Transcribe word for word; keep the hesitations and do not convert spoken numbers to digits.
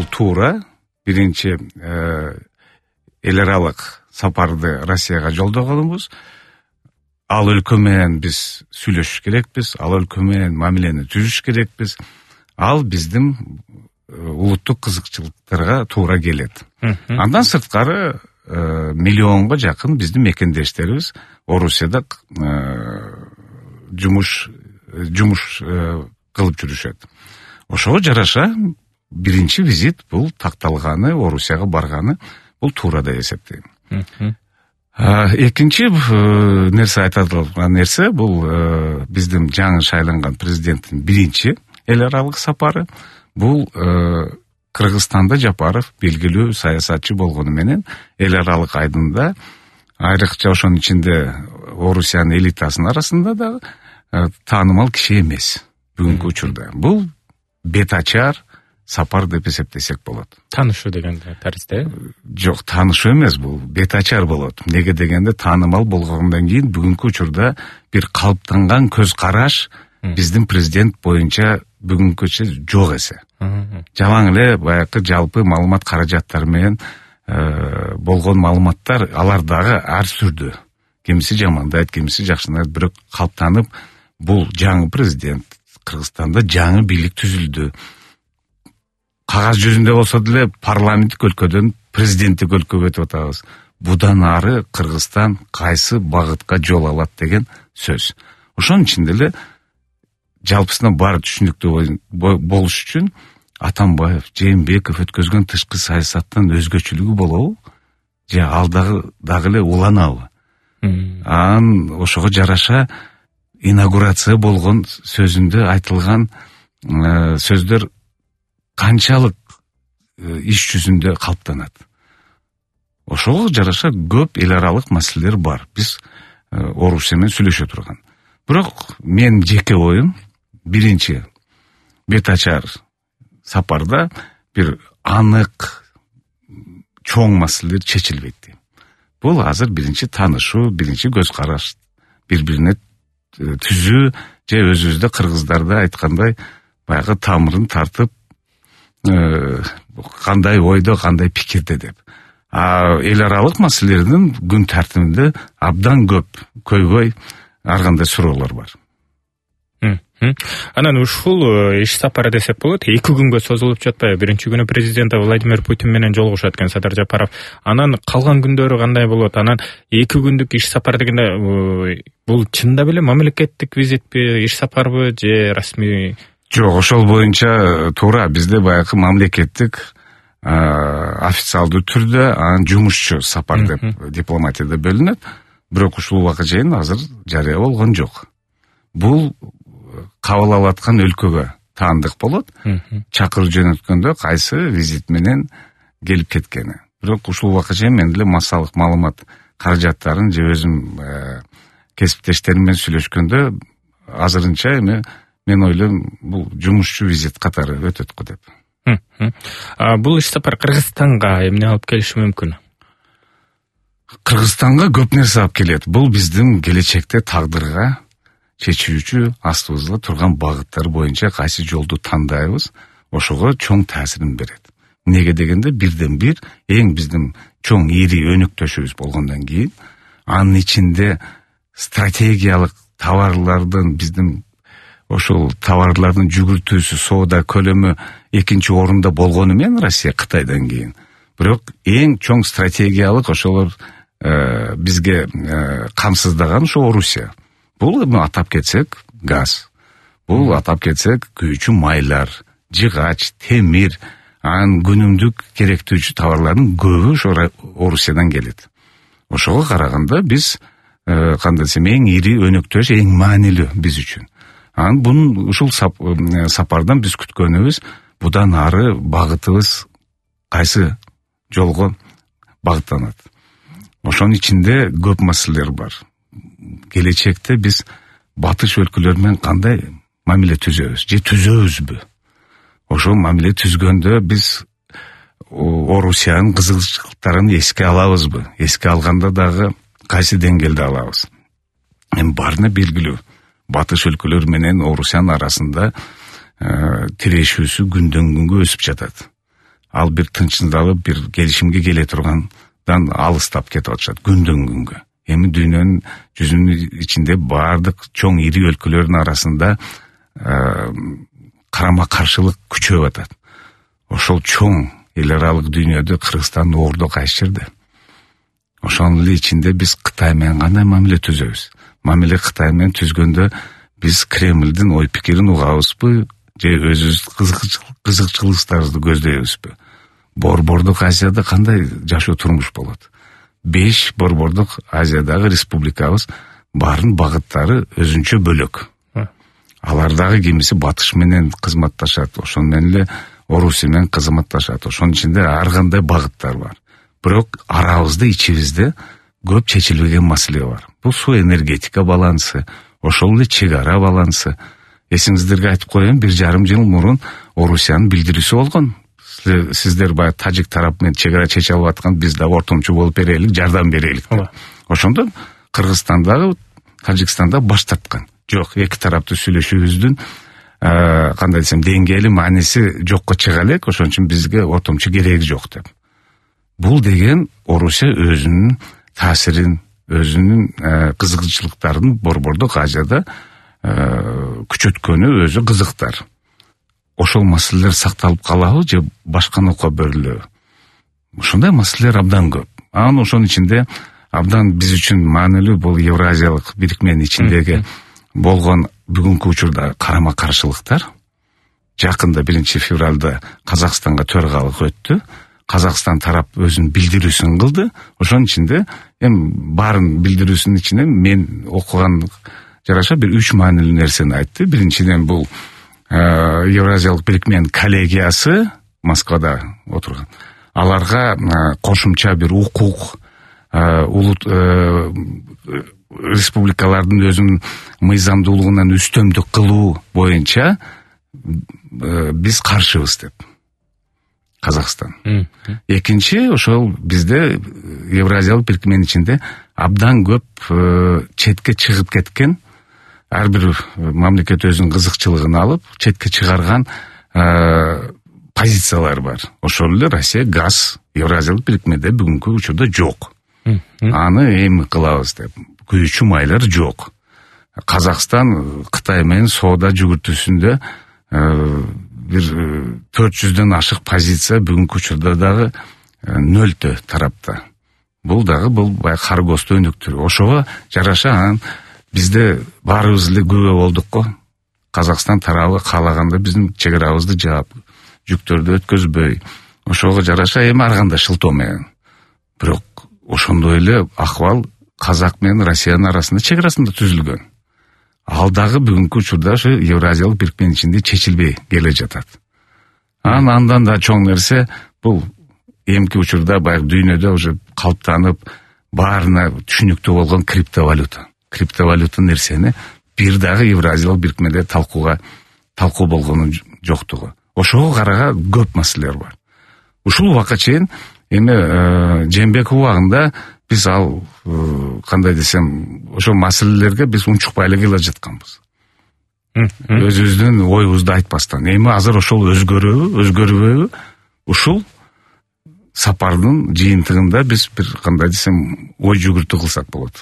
бул туура. Биринчи эл аралык сапарды Россияга жолдогонубуз. Ал өлкө менен биз сүйлөшүш керекпиз, ал өлкө менен мамилени түзүш керекпиз. Ал биздин улуттук кызыкчылыктарга туура келет. Андан сырткары миллионго жакын биздин мекендештерибиз Орусияда жумуш жумуш кылып жүрүшөт. Ошого жараша биринчи визит бул такталганы, Орусияга барганы бул туура деп эсептейм. Экинчи нерсе айтылган нерсе бул биздин жаңы шайланган президенттин биринчи эл аралык сапары. Бул Кыргызстанда Жапаров белгилүү саясатчы болгону менен эл аралык айдында, айрыкча ошонун ичинде Орусиянын элитасынын арасында да таанымал киши эмес бүгүнкү учурда. Бул бет ачар сапар деп эсептесек болот. Таанышуу дегенде таризде? Жок, таанышуу эмес, бул бет ачар болот. Неге дегенде таанымал болгондон кийин бүгүнкү учурда бир калыптанган көз караш биздин президент боюнча бүгүнкүчө жок эсе. Жалаң эле баягы жалпы маалымат каражаттары менен болгон маалыматтар алар дагы ар түрдүү. Кимиси жамандайт, кимиси жакшынайт, бирок калыптанып бул жаңы президент, Кыргызстанда жаңы бийлик түзүлдү. Кагаз жүзүндө болсо деле парламенттик өлкөдөн президенттик өлкөгө өтүп атабыз. Будан ары Кыргызстан кайсы багытка жол алат деген сөз. Ошонун ичинде эле жалпысынан баары түшүнүктүү болуш үчүн Атамбаев, Жээнбеков өткөзгөн тышкы саясаттан өзгөчөлүгү болобу? Же ал дагы дагы эле уланабы? Ан ошого жараша инаугурация болгон сөзүндө айтылган сөздөр канчалык иш жүзүндө калыптанат. Ошого жараша көп эл аралык маселелер бар. Биз Орусия менен сүйлөшө турган. Бирок мен жеке оюм биринчи бет ачар сапарда бир анык чоң маселелер чечилбейт дейм. Бул азыр биринчи таанышуу, биринчи көз караш, бири-бирине түзүү, же өзүбүздө кыргыздарда айткандай баягы тамырын тартып кандай ойдо, кандай пикирде деп. А эл аралык маселелердин күн тартибинде абдан көп, көйгөй ар кандай суроолор бар. Анан ушул иш сапары десек болот, эки күнгө созулуп жатпайбы? Биринчи күнү президент Владимир Путин менен жолугушат экен Садыр Жапаров. Анан калган күндөрү кандай болот? Анан эки күндүк иш сапар дегенде бул чында беле мамлекеттик визитпи, иш сапарбы же расмий? Жок, ошол боюнча туура бизде баягы мамлекеттик официалдуу түрдө анан жумушчу сапар деп дипломатияда бөлүнөт. Бирок ушул убакка чейин азыр жарыя болгон жок. Бул кабыл алып аткан өлкөгө таандык болот. Чакырып жөнөткөндө кайсы визит менен келип кеткени. Бирок ушул убакка чейин мен деле массалык маалымат каражаттарын же өзүм кесиптештерим менен сүйлөшкөндө азырынча эми мен ойлойм бул жумушчу визит катары өтөт го деп. Бул иш сапар Кыргызстанга эмне алып келиши мүмкүн? Кыргызстанга көп нерсе алып келет. Бул биздин келечекте тагдырга чечүүчү астыбызда турган багыттар боюнча кайсы жолду тандайбыз, ошого чоң таасирин берет. Неге дегенде бирден бир эң биздин чоң ири өнөктөшүбүз болгондон кийин анын ичинде стратегиялык товарлардын биздин ошол товарлардын жүгүртүүсү, соода көлөмү экинчи орунда болгону менен Россия Кытайдан кийин. Бирок эң чоң стратегиялык ошолор бизге камсыздаган ошо Орусия. Бул эми атап кетсек газ. Бул атап кетсек күйүүчү майлар, жыгач, темир, анан күнүмдүк керектүүчү товарлардын көбү ошо Орусиядан келет. Ошого караганда биз кандай десем эң ири өнөктөш, эң маанилүү биз үчүн. Анан бунун ушул сапардан биз күткөнүбүз будан ары багытыбыз кайсы жолго багыттанат. Ошонун ичинде көп маселелер бар. Келечекте биз батыш өлкөлөр менен кандай мамиле түзөбүз же түзөбүзбү? Ошол мамиле түзгөндө биз Орусиянын кызыкчылыктарын эске алабызбы? Эске алганда дагы кайсы деңгээлде алабыз? Эми баарына белгилүү. Батыш өлкөлөр менен Орусиянын арасында тирешүүсү күндөн күнгө өсүп жатат. ал бир тынчсыздалып бир келишимге келе тургандан алыстап кетип атышат күндөн күнгө. Эми дүйнөнүн жүзүнүн ичинде баардык чоң ири өлкөлөрдүн арасында карама каршылык күчөп атат. Ошол чоң эл аралык дүйнөдө Кыргызстан ордо кайсы жерде. Ошонун эле ичинде биз Кытай менен кандай мамиле түзөбүз? Мамиле Кытай менен түзгөндө биз Кремлдин ой пикирин угабызбы же өзүбүз кызыкчылыктарыбызды көздөйбүзбү? Борбордук Азияда кандай жашоо турмуш болот? Беш борбордук Азиядагы республикабыз баардын багыттары өзүнчө бөлөк. Алардагы кимиси батыш менен кызматташат, ошону менен эле Орусия менен кызматташат. Ошонун ичинде ар кандай багыттар бар. Бирок арабызда, ичибизде көп чечилбеген маселе бар. Бул суу энергетика балансы, ошол эле чек ара балансы. Эсиңиздерге айтып коеюн, бир жарым жыл мурун Орусиянын билдирүүсү болгон. Сиздер баягы тажик тарап менен чек ара чече алып аткан, биз да ортомчу болуп берелик, жардам берелик. Ошондо Кыргызстандагы, Тажикстанда баш тарткан. Жок, эки тараптуу сүйлөшүүбүздүн кандай десем деңгээли мааниси жокко чыга элек, ошон үчүн бизге ортомчу кереги жок деп. Бул деген Орусия өзүнүн таасирин, өзүнүн кызыкчылыктарын борбордук Азияда күчөткөнү өзү кызыктар. Ошол маселелер сакталып калабы же башка нокко берилеби? Ошондой маселелер абдан көп. Анан ошонун ичинде абдан биз үчүн маанилүү бул Евразиялык бирикменин ичиндеги болгон бүгүнкү учурда карама каршылыктар. Жакында биринчи февралда Казакстанга төргалык өттү. Казакстан тарап өзүнүн билдирүүсүн кылды. Ошонун ичинде эми баарын билдирүүсүнүн ичинен мен окуган жараша бир үч маанилүү нерсени айтты. Биринчиден бул Евразиялык бирикменин коллегиясы Москвада отурган. Аларга кошумча бир укук улут республикалардын өзүнүн мыйзамдуулугунан үстөмдүк кылуу боюнча биз каршыбыз деп. Казакстан. Экинчи, ошол бизде Евразиялык бирикменин ичинде абдан көп четке чыгып кеткен, ар бир мамлекет өзүнүн кызыкчылыгын алып, четке чыгарган позициялар бар. Ошол эле Россия газ Евразиялык бирикмеде бүгүнкү учурда жок. Аны эми кылабыз деп. Күйүүчү майлар жок. Казакстан Кытай менен соода жүгүртүүсүндө бир төрт жүздөн ашык позиция бүгүнкү учурда дагы нөлтө тарапта. Бул дагы бул баягы каргосту өнүктүрүү. Ошого жараша анан бизде баарыбыз эле күбө болдук го. Казакстан тарабы каалаганда биздин чек арабызды жаап, жүктөрдү өткөзбөй. Ошого жараша эми ар кандай шылтоо менен. Бирок ошондой эле акыбал Казак менен Россиянын арасында чек арасында түзүлгөн. Ал дагы бүгүнкү учурда ошо Евразиялык бирикменин ичинде чечилбей келе жатат. Анан андан да чоң нерсе бул эмки учурда баягы дүйнөдө уже калыптанып баарына түшүнүктүү болгон криптовалюта. Криптовалюта нерсени бир дагы Евразиялык бирикмеде талкууга талкуу болгону жоктугу. Ошого карага көп маселелер бар. Ушул убакка чейин эми Жээнбеков убагында биз ал кандай десем ошол маселелерге биз унчукпай эле келе жатканбыз. Өзүбүздүн оюбузду айтпастан. Эми азыр ошол өзгөрөбү, өзгөрбөйбү? Ушул сапардын жыйынтыгында биз бир кандай десем ой жүгүртүү кылсак болот.